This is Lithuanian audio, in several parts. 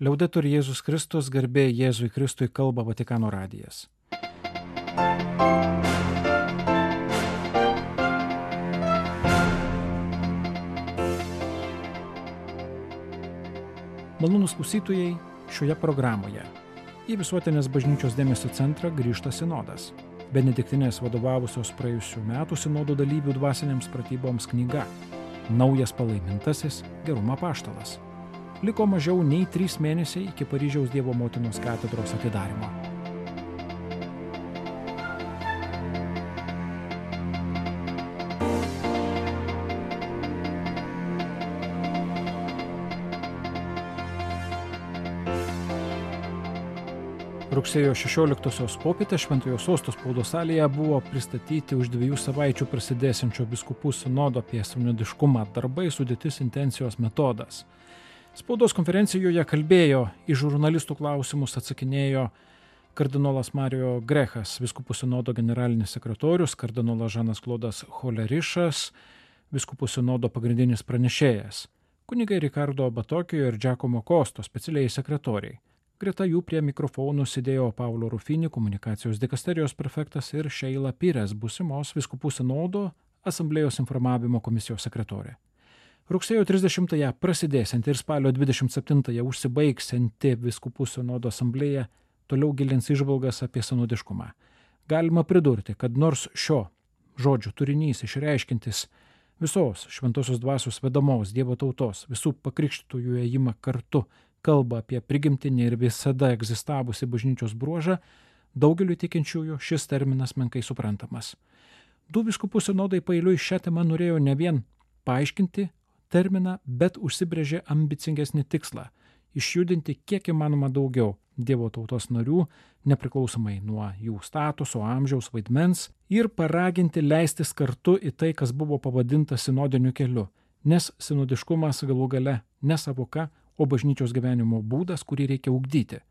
Liaudetur Jėzus Kristus, garbė Jėzui Kristui, kalba Vatikano radijas. Malonūs klausytojai, šioje programoje į Visuotinės bažnyčios dėmesio centrą grįžta sinodas. Benediktinės vadovavusios praėjusių metų sinodo dalyvių dvasinėms pratyboms knyga Naujas palaimintasis gerumo apaštalas. Liko mažiau nei 3 mėnesiai iki Paryžiaus Dievo motinos katedros atidarymo. Rugsėjo 16-osios popietę Šventojo Sosto spaudos salėje buvo pristatyti už 2 savaičių prasidėsiančio vyskupų sinodo apie sinodiškumą darbai, sudėtis, intencijos, metodas. Spaudos konferencijoje kalbėjo, į žurnalistų klausimus atsakinėjo kardinolas Mario Grechas, vyskupų sinodo generalinis sekretorius, kardinolas Žanas Klodas Holerišas, vyskupų sinodo pagrindinis pranešėjas, kunigai Ricardo Batokijo ir Giacomo Kosto, specialiai sekretoriai. Greta jų prie mikrofonų sėdėjo Paulo Rufini, komunikacijos dikasterijos prefektas, ir Šeila Pires, būsimos vyskupų sinodo asamblėjos informavimo komisijos sekretorė. Rugsėjo 30-ąją prasidėsianti ir spalio 27-ąją užsibaigsianti vyskupų sinodo asamblėja toliau gilins įžvalgas apie sinodiškumą. Galima pridurti, kad nors šio žodžio turinys išreiškintis visos šventosios dvasios vedamos Dievo tautos, visų pakrikštytųjų ėjimą kartu, kalba apie prigimtinį ir visada egzistavusi bažnyčios bruožą, daugeliu tikinčiųjų šis terminas menkai suprantamas. 2 vyskupų sinodai paeiliui šią temą norėjo ne vien paaiškinti terminą, bet užsibrėžė ambicingesnį tikslą – išjudinti kiek įmanoma daugiau Dievo tautos narių, nepriklausomai nuo jų statuso, amžiaus, vaidmens, ir paraginti leistis kartu į tai, kas buvo pavadinta sinodiniu keliu, nes sinodiškumas galų gale ne savoka, o bažnyčios gyvenimo būdas, kurį reikia ugdyti.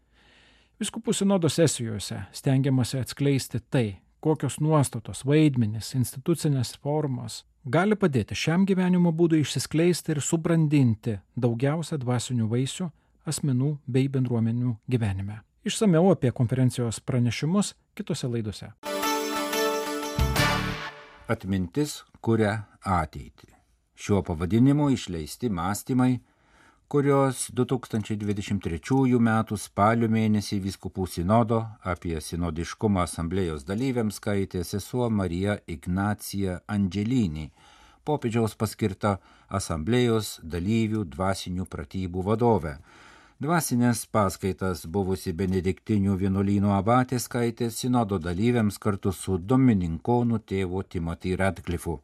Vyskupų sinodo sesijose stengiamasi atskleisti tai, kokios nuostatos, vaidmenys, institucinės formos gali padėti šiam gyvenimo būdui išsiskleisti ir subrandinti daugiausia dvasinių vaisių asmenų bei bendruomenių gyvenime. Išsamiau apie konferencijos pranešimus kitose laidose. Atmintis kuria ateitį. Šiuo pavadinimu išleisti mąstymai, kurios 2023 m. spalio mėnesį vyskupų sinodo apie sinodiškumą asamblėjos dalyviams skaitė sesuo Marija Ignacija Andželinį, popiežiaus paskirta asamblėjos dalyvių dvasinių pratybų vadovė. Dvasinės paskaitas buvusi benediktinių vienuolyno abatė skaitė sinodo dalyviams kartu su dominikonų tėvu Timothy Radcliffu.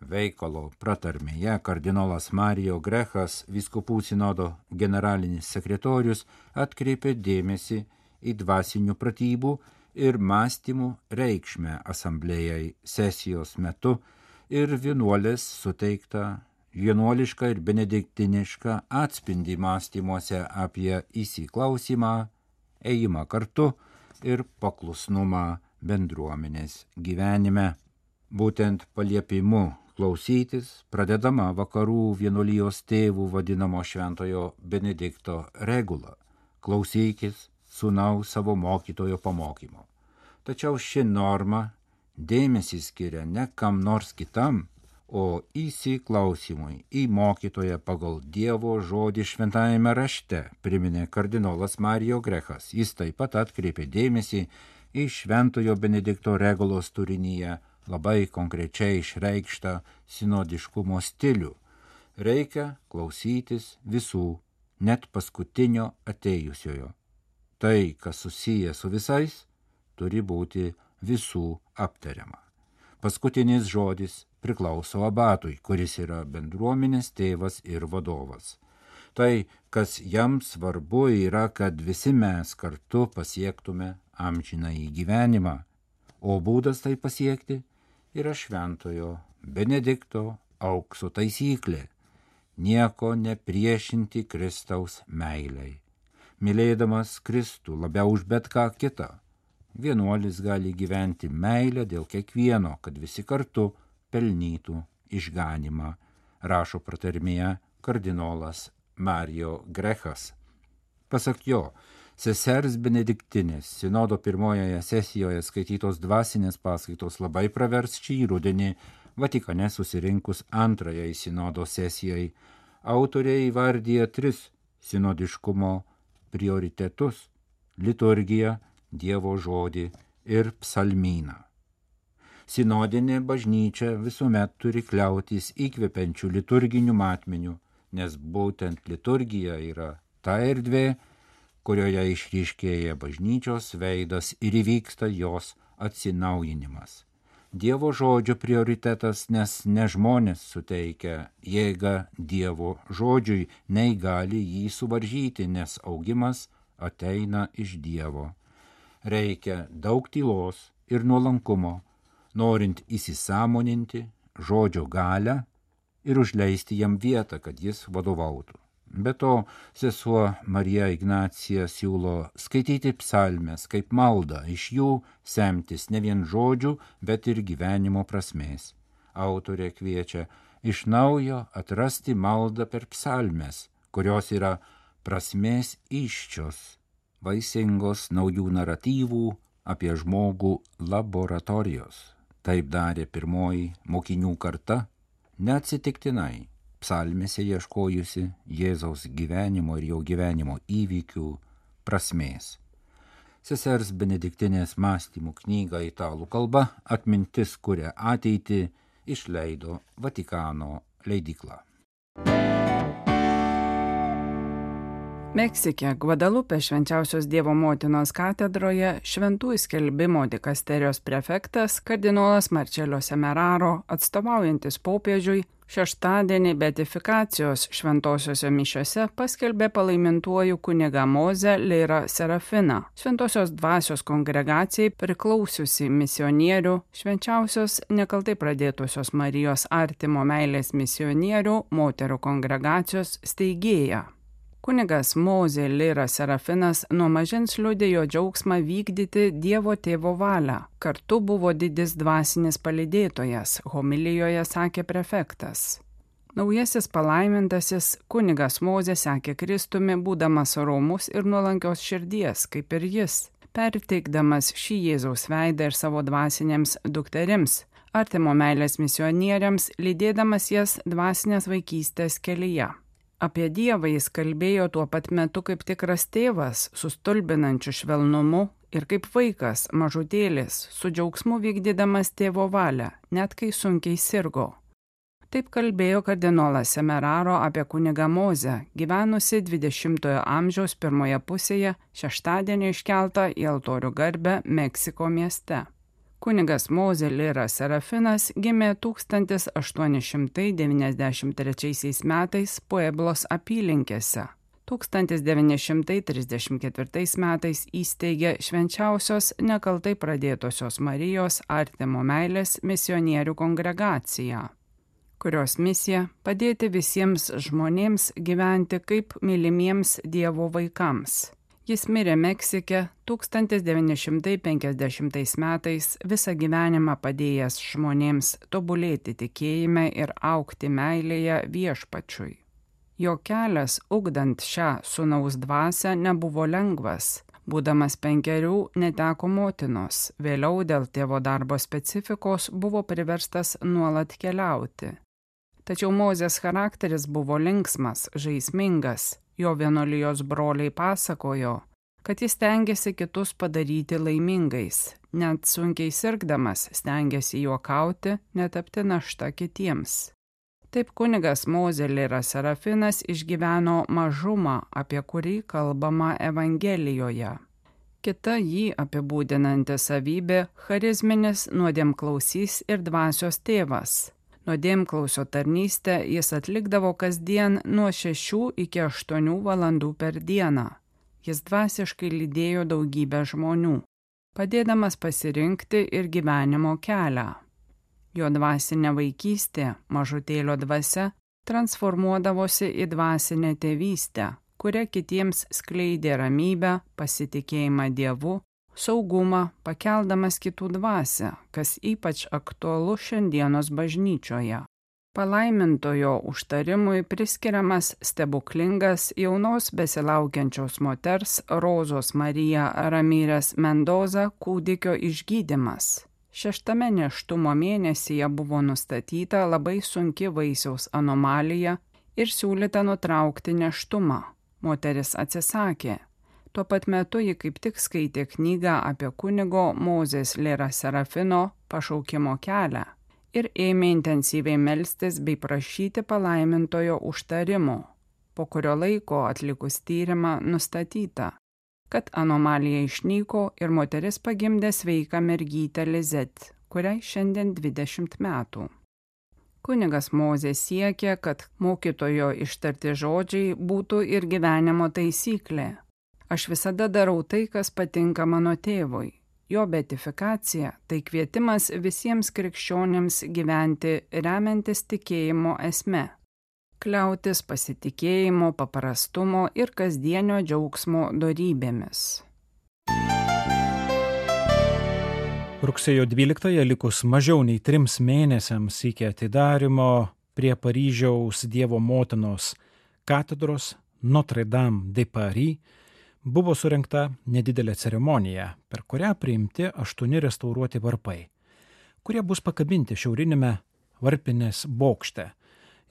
Veikalo pratarmėje kardinolas Mario Grechas, vyskupų sinodo generalinis sekretorius, atkreipė dėmesį į dvasinių pratybų ir mąstymų reikšmę asamblėjai sesijos metu ir vienuolės suteiktą vienuolišką ir benediktinišką atspindį mąstymuose apie įsiklausymą, ėjimą kartu ir paklusnumą bendruomenės gyvenime. Būtent paliepimu klausytis pradedama vakarų vienuolijos tėvų vadinamo šventojo Benedikto regula – klausykis sūnaus savo mokytojo pamokymo. Tačiau ši norma dėmesį skiria ne kam nors kitam, o įsiklausimui į mokytoją pagal Dievo žodį šventajame rašte, priminė kardinolas Mario Grechas. Jis taip pat atkreipė dėmesį į šventojo Benedikto regulos turinyje labai konkrečiai išreikštą sinodiškumo stilių. Reikia klausytis visų, net paskutinio atėjusiojo. Tai, kas susiję su visais, turi būti visų aptariama. Paskutinis žodis priklauso abatui, kuris yra bendruomenės tėvas ir vadovas. Tai, kas jam svarbu, yra, kad visi mes kartu pasiektume amžinąjį gyvenimą, o būdas tai pasiekti yra šventojo Benedikto aukso taisyklė – nieko nepriešinti Kristaus meilei. Mylėdamas Kristų labiau už bet ką kitą, vienuolis gali gyventi meilę dėl kiekvieno, kad visi kartu pelnytų išganymą, rašo pratarmėje kardinolas Mario Grechas. Pasak jo, sesers Benediktinės sinodo pirmojoje sesijoje skaitytos dvasinės paskaitos labai pravers šį rudenį Vatikane susirinkus antrajai sinodo sesijai. Autoriai įvardyja 3 sinodiškumo prioritetus – liturgiją, Dievo žodį ir psalmyną. Sinodinė bažnyčia visuomet turi kliautis įkvepiančių liturginių matmenių, nes būtent liturgija yra ta erdvė, kurioje išryškėja bažnyčios veidas ir įvyksta jos atsinaujinimas. Dievo žodžio prioritetas, nes ne žmonės suteikia jėgą Dievo žodžiui, nei gali jį suvaržyti, nes augimas ateina iš Dievo. Reikia daug tylos ir nuolankumo, norint įsisąmoninti žodžio galią ir užleisti jam vietą, kad jis vadovautų. Be to, sesuo Marija Ignacija siūlo skaityti psalmes kaip maldą, iš jų semtis ne vien žodžių, bet ir gyvenimo prasmės. Autorė kviečia iš naujo atrasti maldą per psalmes, kurios yra prasmės iščios, vaisingos naujų naratyvų apie žmogų laboratorijos. Taip darė pirmoji mokinių karta, neatsitiktinai psalmėse ieškojusi Jėzaus gyvenimo ir jo gyvenimo įvykių prasmės. Sesers Benediktinės mąstymų knygą italų kalba Atmintis kuria ateitį išleido Vatikano leidykla. Meksike, Gvadalupe Švenčiausios Dievo motinos katedroje šventųjų skelbimo dikasterijos prefektas kardinolas Marcello Semeraro, atstovaujantis popiežiui, šeštadienį beatifikacijos šventosiose mišiose paskelbė palaimintuoju kunigą Mozę Leirą Serafiną, Šventosios dvasios kongregacijai priklausiusi misionierių, švenčiausios nekaltai pradėtosios Marijos artimo meilės misionierių moterų kongregacijos steigėja. Kunigas Mozė Leira Serafinas nuo mažens liudėjo džiaugsmą vykdyti Dievo tėvo valią. Kartu buvo didis dvasinis palydėtojas, homilijoje sakė prefektas. Naujasis palaimintasis kunigas Mozė sekė Kristumi, būdamas romus ir nuolankios širdies, kaip ir jis, perteikdamas šį Jėzaus veidą ir savo dvasinėms dukterims, artimo meilės misionieriams, lydėdamas jas dvasinės vaikystės kelyje. Apie Dievą jis kalbėjo tuo pat metu kaip tikras tėvas, su stulbinančiu švelnumu, ir kaip vaikas, mažutėlis, su džiaugsmu vykdydamas tėvo valią, net kai sunkiai sirgo. Taip kalbėjo kardinolas Semeraro apie kunigą Mozę, gyvenusi 20-ojo amžiaus pirmoje pusėje, šeštadienį iškeltą į altorių garbę Meksiko mieste. Kunigas Mozė Leira Serafinas gimė 1893 metais Pueblos apylinkėse. 1934 metais įsteigė švenčiausios nekaltai pradėtosios Marijos artimo meilės misionierių kongregaciją, kurios misija padėti visiems žmonėms gyventi kaip mylimiems Dievo vaikams. Jis mirė Meksike 1950 metais, visą gyvenimą padėjęs žmonėms tobulėti tikėjime ir augti meilėje viešpačiui. Jo kelias, ugdant šią sūnaus dvasią, nebuvo lengvas. Būdamas 5 neteko motinos, vėliau dėl tėvo darbo specifikos buvo priverstas nuolat keliauti. Tačiau Mozės charakteris buvo linksmas, žaismingas. Jo vienuolijos broliai pasakojo, kad jis stengiasi kitus padaryti laimingais, net sunkiai sirgdamas stengiasi juokauti, netapti našta kitiems. Taip kunigas Mozė Leira Serafinas išgyveno mažumą, apie kurį kalbama Evangelijoje. Kita jį apibūdinanti savybė – charizminis nuodėmklausys ir dvasios tėvas. Nuodėmklausio tarnystę jis atlikdavo kasdien nuo 6 iki 8 valandų per dieną. Jis dvasiškai lydėjo daugybę žmonių, padėdamas pasirinkti ir gyvenimo kelią. Jo dvasinė vaikystė, mažutėlio dvasia, transformuodavosi į dvasinę tėvystę, kuria kitiems skleidė ramybę, pasitikėjimą Dievu, saugumą, pakeldamas kitų dvasią, kas ypač aktualu šiandienos bažnyčioje. Palaimintojo užtarimui priskiriamas stebuklingas jaunos besilaukiančios moters Rozos Marija Ramyrės Mendoza kūdikio išgydymas. 6. nėštumo mėnesyje buvo nustatyta labai sunki vaisiaus anomalija ir siūlyta nutraukti nėštumą. Moteris atsisakė. Tuo pat metu ji kaip tik skaitė knygą apie kunigo Mozės Lėra Serafino pašaukimo kelią ir ėmė intensyviai melstis bei prašyti palaimintojo užtarimo. Po kurio laiko atlikus tyrimą nustatyta, kad anomalija išnyko ir moteris pagimdė sveiką mergytę Lizet, kuriai šiandien 20 metų. Kunigas Mozė siekė, kad mokytojo ištarti žodžiai būtų ir gyvenimo taisyklė. Aš visada darau tai, kas patinka mano tėvui. Jo beatifikacija tai kvietimas visiems krikščionims gyventi remiantis tikėjimo esme, kliautis pasitikėjimo, paprastumo ir kasdienio džiaugsmo dorybėmis. Rugsėjo 12-ąją likus mažiau nei 3 mėnesiams iki atidarymo prie Paryžiaus Dievo motinos katedros Notre Dame de Paris buvo surengta nedidelė ceremonija, per kurią priimti 8 restauruoti varpai, kurie bus pakabinti šiaurinėme varpinės bokšte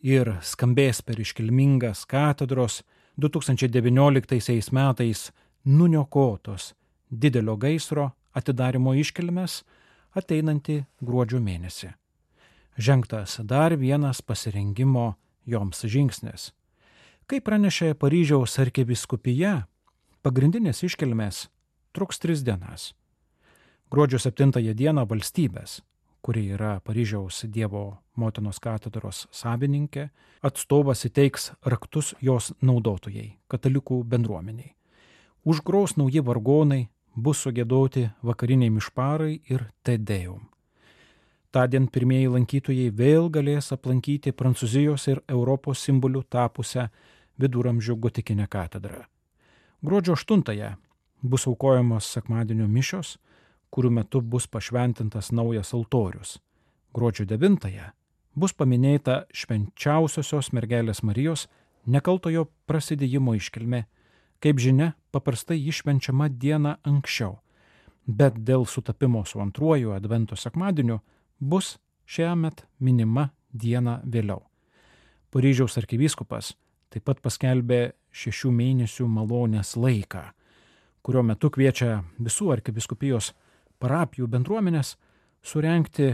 ir skambės per iškilmingas katedros 2019 metais nuniokotos didelio gaisro atidarymo iškilmes ateinantį gruodžio mėnesį. Žengtas dar vienas pasirengimo joms žingsnis. Kaip pranešė Paryžiaus arkivyskupija, pagrindinės iškilmės truks 3 dienas. Gruodžio 7 dieną valstybės, kuri yra Paryžiaus Dievo motinos katedros savininkė, atstovas įteiks raktus jos naudotojai, katalikų bendruomeniai. Užgros nauji vargonai, bus sugiedoti vakariniai mišparai ir Te Deum. Tądien pirmieji lankytojai vėl galės aplankyti Prancūzijos ir Europos simboliu tapusią viduramžių gotikinę katedrą. Gruodžio 8 bus aukojamos sekmadienio mišios, kurių metu bus pašventintas naujas altorius. Gruodžio 9 bus paminėta švenčiausiosios mergelės Marijos nekaltojo prasidėjimo iškilmė. Kaip žinia, paprastai ji švenčiama dieną anksčiau, bet dėl sutapimo su antruoju advento sekmadieniu bus šiemet minima diena vėliau. Paryžiaus arkivyskupas taip pat paskelbė 6 mėnesių malonės laiką, kurio metu kviečia visų arkivyskupijos parapijų bendruomenės surengti,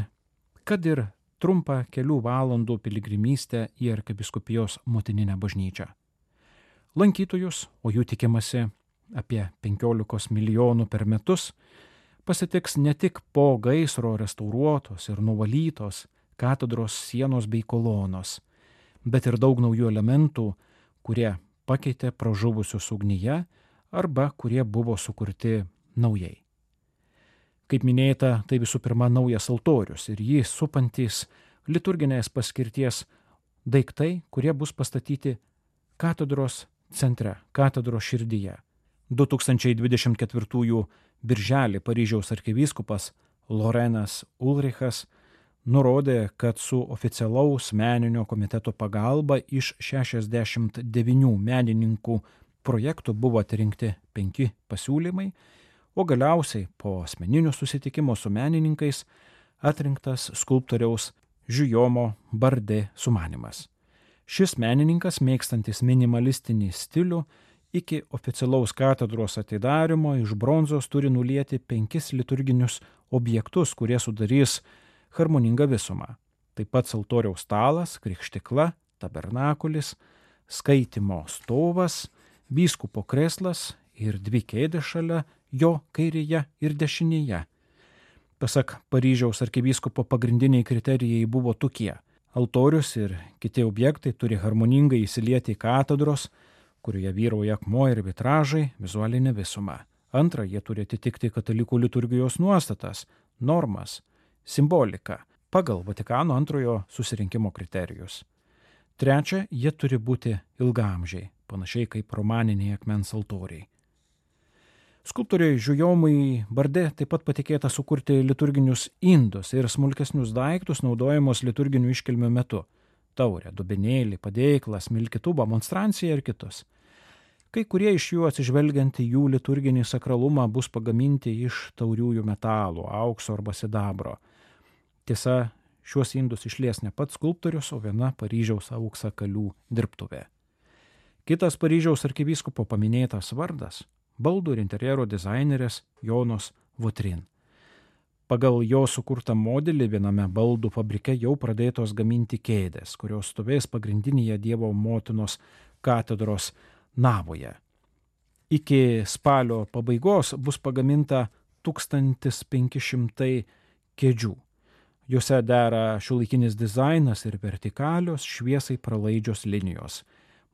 kad ir trumpą kelių valandų piligrimystę į arkivyskupijos motininę bažnyčią. Lankytojus, o jų tikimasi apie 15 milijonų per metus, pasitiks ne tik po gaisro restauruotos ir nuvalytos katedros sienos bei kolonos, bet ir daug naujų elementų, kurie pakeitė pražuvusius ugnyje arba kurie buvo sukurti naujai. Kaip minėta, tai visų pirma naujas altorius ir jį supantys liturginės paskirties daiktai, kurie bus pastatyti katedros centre, katedros širdyje. 2024 birželį Paryžiaus arkivyskupas Lorenas Ulrichas nurodė, kad su oficialaus meninio komiteto pagalba iš 69 menininkų projektų buvo atrinkti 5 pasiūlymai, o galiausiai po asmeninio susitikimo su menininkais atrinktas skulptoriaus Guillaume Bardė sumanymas. Šis menininkas, mėgstantis minimalistinį stilių, iki oficialaus katedros atidarymo iš bronzos turi nulieti 5 liturginius objektus, kurie sudarys harmoningą visumą. Taip pat altoriaus stalas, krikštikla, tabernakulis, skaitymo stovas, vyskupo kreslas ir 2 kėdės šalia jo kairėje ir dešinėje. Pasak Paryžiaus arkivyskupo pagrindiniai kriterijai buvo tokie. Altorius ir kiti objektai turi harmoningai įsilieti į katedros, kurioje vyrauja akmuo ir vitražai, vizualinė visuma. Antra, jie turi atitikti katalikų liturgijos nuostatas, normas, simboliką pagal Vatikano antrojo susirinkimo kriterijus. Trečia, jie turi būti ilgaamžiai, panašiai kaip romaniniai akmens altoriai. Skulptoriui Guillaume'ui Bardė taip pat patikėta sukurti liturginius indus ir smulkesnius daiktus naudojamus liturginių iškilmių metu. taurę, dubenėlį, padėklą, smilkytuvą, monstranciją ir kitus. Kai kurie iš jų atsižvelgiant į jų liturginį sakralumą bus pagaminti iš tauriųjų metalų, aukso arba sidabro. Tiesa, šiuos indus išlies ne pats skulptorius, o viena Paryžiaus auksakalių dirbtuvė. Kitas Paryžiaus arkivyskupo paminėtas vardas – baldų ir interjero dizainerės Jonos Votrin. Pagal jo sukurtą modelį viename baldų fabrike jau pradėtos gaminti kėdės, kurios stovės pagrindinėje Dievo motinos katedros navoje. Iki spalio pabaigos bus pagaminta 1500 kėdžių. Juose dera šiuolaikinis dizainas ir vertikalios šviesai pralaidžios linijos,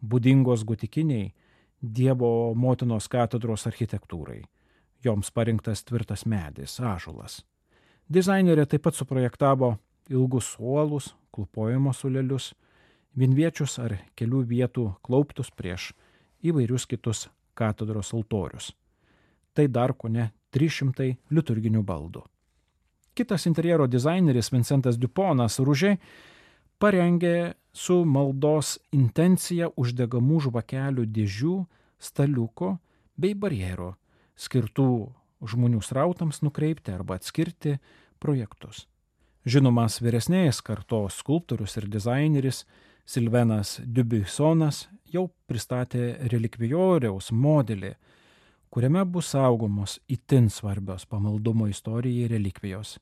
būdingos gotikiniai Dievo motinos katedros architektūrai. Joms parinktas tvirtas medis, ąžuolas. Dizainerė taip pat suprojektavo ilgus suolus, klūpojimo suolelius, vienviečius ar kelių vietų klauptus prieš įvairius kitus katedros altorius. Tai dar kone 300 liturginių baldų. Kitas interjero dizaineris Vincentas Duponas Ružė parengė su maldos intencija uždegamų žvakelių dėžių, staliuko bei barjero, skirtų žmonių srautams nukreipti arba atskirti projektus. Žinomas vyresnės kartos skulptorius ir dizaineris Silvenas Dubuissonas jau pristatė relikvijoriaus modelį, kuriame bus saugomos itin svarbios pamaldumo istorijai relikvijos.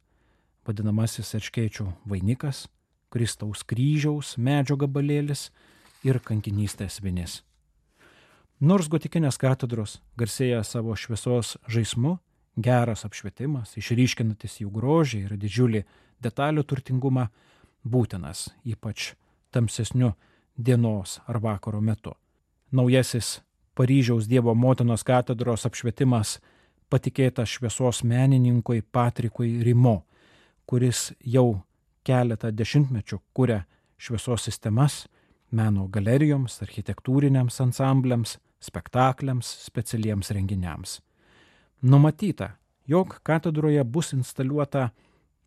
Vadinamasis erškėčių vainikas, Kristaus kryžiaus medžio gabalėlis ir kankinystės vinis. Nors gotikinės katedros garsėja savo šviesos žaismu, geras apšvietimas, išryškinantis jų grožį ir didžiulį detalių turtingumą, būtinas, ypač tamsesniu dienos ar vakaro metu. Naujasis Paryžiaus Dievo motinos katedros apšvietimas patikėtas šviesos menininkui Patrikui Rimo, kuris jau keletą dešimtmečių kuria šviesos sistemas meno galerijoms, architektūriniams ansambliams, spektakliams, specialiems renginiams. Numatyta, jog katedroje bus instaliuota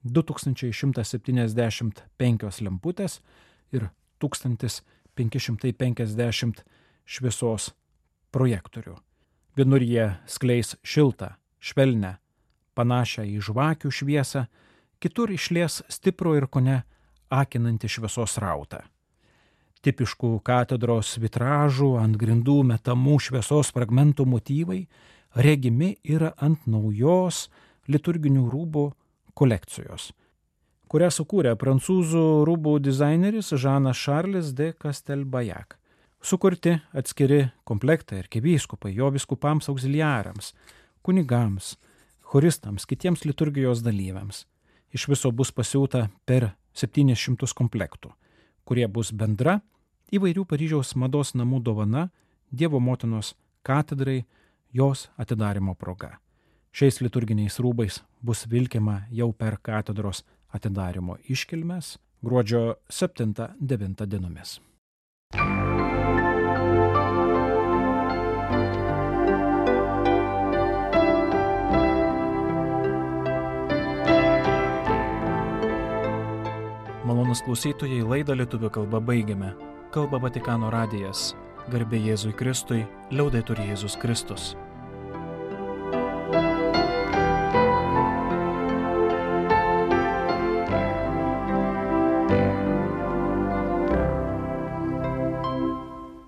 2175 lemputės ir 1550 šviesos projektorių. Vienur jie skleis šiltą, švelnę, panašią į žvakių šviesą, kitur išlies stiprų ir kone akinantį šviesos rautą. Tipiškų katedros vitražų ant grindų metamų šviesos fragmentų motyvai regimi yra ant naujos liturginių rūbų kolekcijos, kurią sukūrė prancūzų rūbų dizaineris Žanas Šarlis de Castelbajac. Sukurti atskiri komplektai arkivyskupai, jo vyskupams auxiliarams, kunigams, choristams, kitiems liturgijos dalyviams. Iš viso bus pasiūta per 700 komplektų, kurie bus bendra įvairių Paryžiaus mados namų dovana Dievo motinos katedrai jos atidarymo proga. Šiais liturginiais rūbais bus vilkiama jau per katedros atidarymo iškilmes gruodžio 7-9 dienomis. Malonūs klausytojai, laidą lietuvių kalba baigiame. Kalba Vatikano radijas. Garbė Jėzui Kristui, liaudetur Jėzus Kristus.